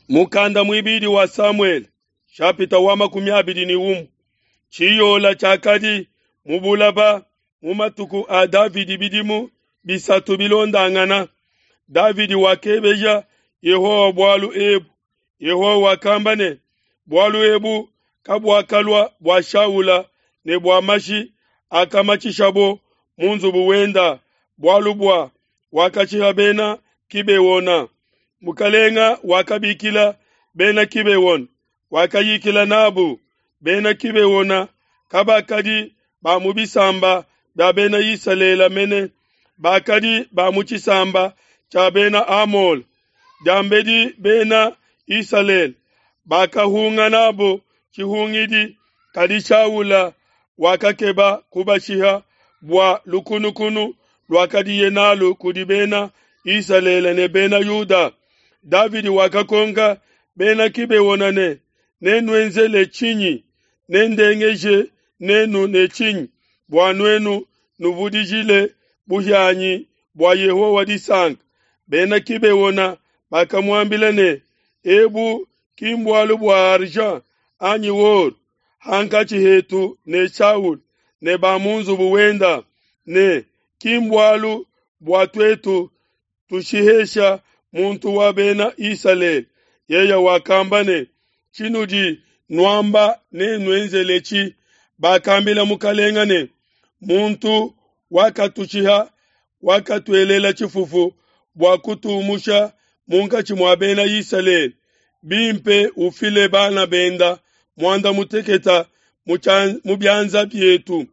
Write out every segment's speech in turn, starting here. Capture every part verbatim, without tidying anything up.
Mukanda muibidi wa Samuele shapita wa makumi abidi ne umue tshiyola tshiakadi mu bulaba mu matuku a Davidi bidimu bisatu bilondangana. Davidi wakebeja Yehowa bualu ebu. Yehowa wakamba ne, bualu ebu kabuakalua bua Shaula ne bua mashi akamatshishabo mu nzubu wenda, bualu bua wakashiha bena Kibeona. Mukalenga wakabikila bena Kibeona, wakayikila nabu. Bena Kibeona kabakadi ba mu bisamba bia bena Isalele mene, bakadi ba mu tshisamba tshia bena Amole. Diambedi bena Isalele bakahunga nabo tshihungidi, kadi Shaula wakakeba kubashiha bua lukunukunu luakadiye nalu kudi bena Isalele ne bena Yuda. Davidi wakakonka bena Kibeona ne, nenuenzele tshinyi? Nendengeje nenu ne tshinyi bua nuenu nuvudijile buhianyi bua Yehowa disanka? Bena Kibeona bakamuambila ne, ebu ki mbualu bua argent anyi or hankatshi hetu ne Shaul ne ba mu nzubu wenda, ne ki mbualu bua tuetu tushihesha muntu wa bena Isalele. Yeye wakamba ne, tshinudi nuamba nenuenzeletshi. Bakambila mukalenga ne, muntu wakatushiha wakatuelela tshifufu bua kutumusha munkatshi mua bena Isalele. Bimpe ufile bana benda muanda muteketa mu bianza bietu,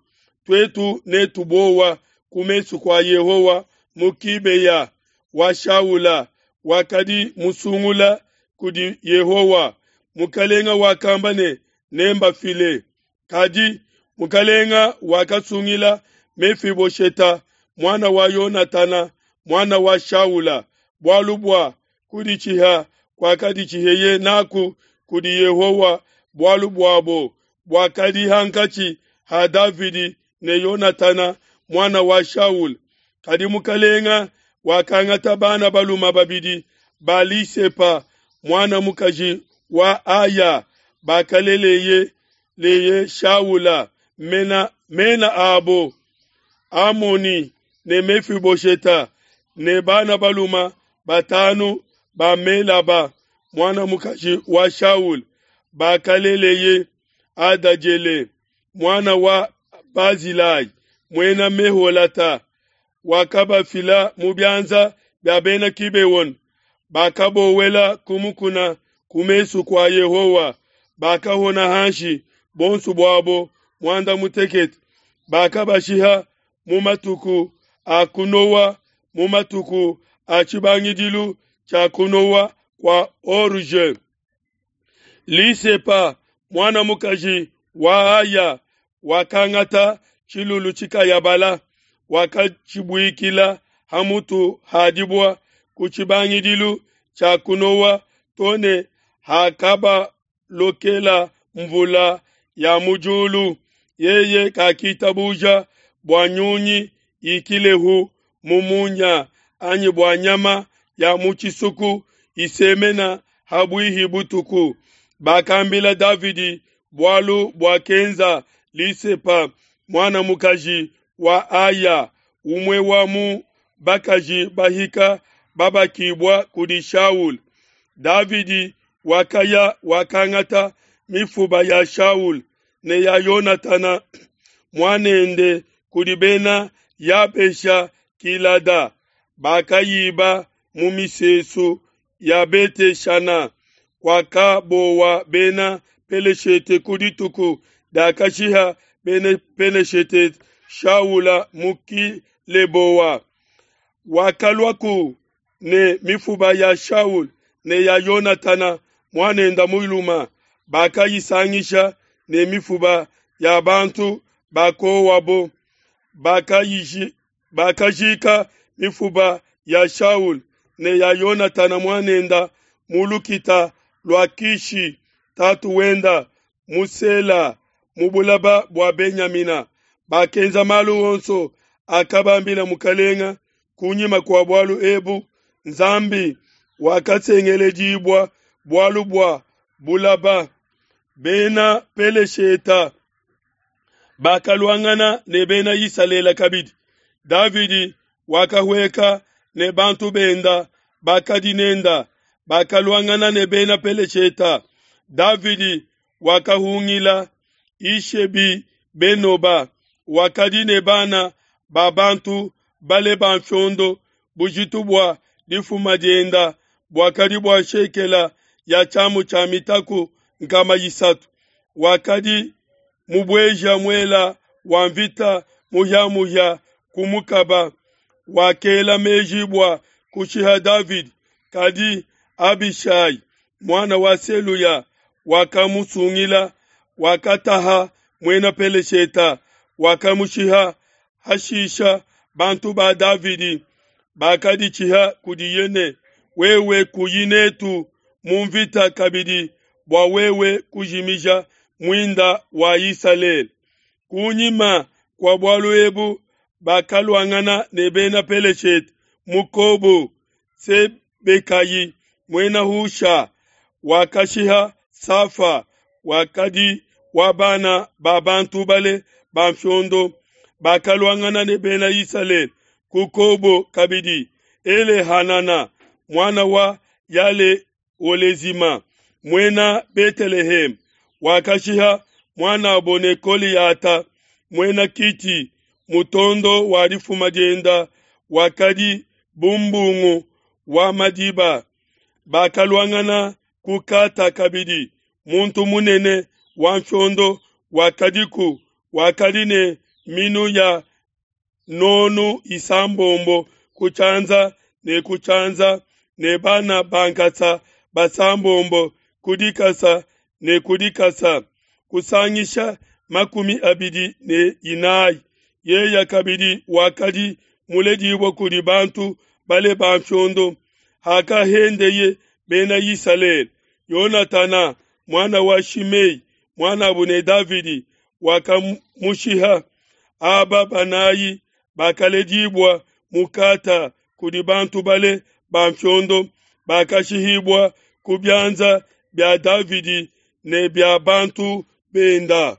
tuetu netubowa ku mesu kua Yehowa mu Kibeya wa Shaula wakadi musungula kudi Yehowa. Mukalenga wakamba ne, nembafile. Kadi mukalenga wakasungila Mefibosheta muana wa Yonatana muana wa Shaula, bualu bua kuditshiha kuakaditshiheye naku kudi Yehowa bualu buabo buakadi hankatshi ha Davidi ne Yonatana muana wa Shaula. Kadi mukalenga wakangata bana baluma babidi ba Lisepa muana mukaji wa Aya bakaleleye leye Shaula, mena, mena abo Amoni ne Mefibosheta, ne bana baluma batanu ba Melaba muana mukaji wa Shaula bakaleleye Adajele muana wa Bazilai muena Meholata. Wakabafila mu bianza bia bena Kibeona, bakabowela ku mukuna ku mesu kua Yehowa, bakahona hanshi bonso buabo muanda mutekete. Bakabashiha mu matuku a kunowa, mu matuku a tshibangidilu tshia kunowa kua orge. Lisepa muana mukaji wa Aya wakangata tshilulu tshikayabala, wakatshibuikila ha mutu ha dibua ku tshibangidilu tshia kunowa to ne hakabalokela mvula ya mu diulu. Yeye kakitabuja bua nyunyi ikilehu mu munya anyi bua nyama ya mu tshisuku isemena habuihi butuku. Bakambila Davidi bualu buakenza Lisepa muana mukaji wa Aya, umue wa mu bakaji bahika babakibua kudi Shaul. Davidi wakaya wakangata mifuba ya Shaul ne ya Yonatana muanende kudi bena Yabesha Kilada, bakayiba mu misesu ya Beteshana. Kwakabowa bena Peleshete ku dituku diakashiha bena Peleshete Shaula mu Kileboa. Wakaluaku ne mifuba ya Shaul ne ya Yonatana muanenda muluma, bakayisangisha ne mifuba ya bantu bakowabo. Bakajika mifuba ya Shaul ne ya Yonatana muanenda mu lukita lua Kishi tatu wenda mu Sela mu bulaba bua Benyamina. Bakenza malu onso akabambila mukalenga. Kunyima kua bualu ebu Nzambi wakasengeledibua bualu bua bulaba. Bena Pelesheta bakaluangana ne Bena Isalele kabidi. Davidi wakahueka ne bantu benda bakadi nenda, bakaluangana ne Bena Pelesheta. Davidi wakahungila Ishebi-Benoba, wakadi ne bana ba bantu bale ba mfiondo, bujitu bua difuma dienda buakadi bua shekela ya tshiamu tshia mitaku nkama isatu. Wakadi mubueja muela wa mvita muhia-muhia ku mukaba, wakela meji bua kushiha Davidi, kadi Abishai, muana wa Seluya, wakamusungila, wakataha muena Pelesheta, wakamushiha. Hashisha bantu ba Davidi bakaditshiha kudiye ne, Wewe kuyi netu mu nvita kabidi bua wewe kujimija muinda wa Isalele. Ku nyima kua bualu ebu bakaluangana ne Bena Peleshete mu Kobo. Sebekayi, Muena Husha, wakashiha Safa, wakadi wa bana ba bantu bale ba nfiondo. Bakaluangana ne Bena Isalele ku Kobo kabidi. Elehanana, muana wa Yale-olezima, Muena Beteleheme, wakashiha muan'abo ne Goleyata, Muena Kiti. Mutondo wa difuma dienda wakadi bu mbungu wa madiba. Bakaluangana ku Gata kabidi. Muntu munene wa nfiondo wakadiku, wakadi ne minu ya nonu isambombo ku tshianza ne ku tshianza ne bana ba nkasa basambombo ku dikasa ne ku dikasa, kusangisha makumi abidi ne inayi. Yeye kabidi wakadi muledibue kudi bantu bale ba nfiondo. Hakahendeye Bena Isalele, Yonatana, muana wa Shimei, muan'abo ne Davidi, wakamushiha. Aba banayi bakaledibua mu Gata kudi bantu bale ba nfiondo, bakashihibua ku bianza bia Davidi ne bia bantu benda.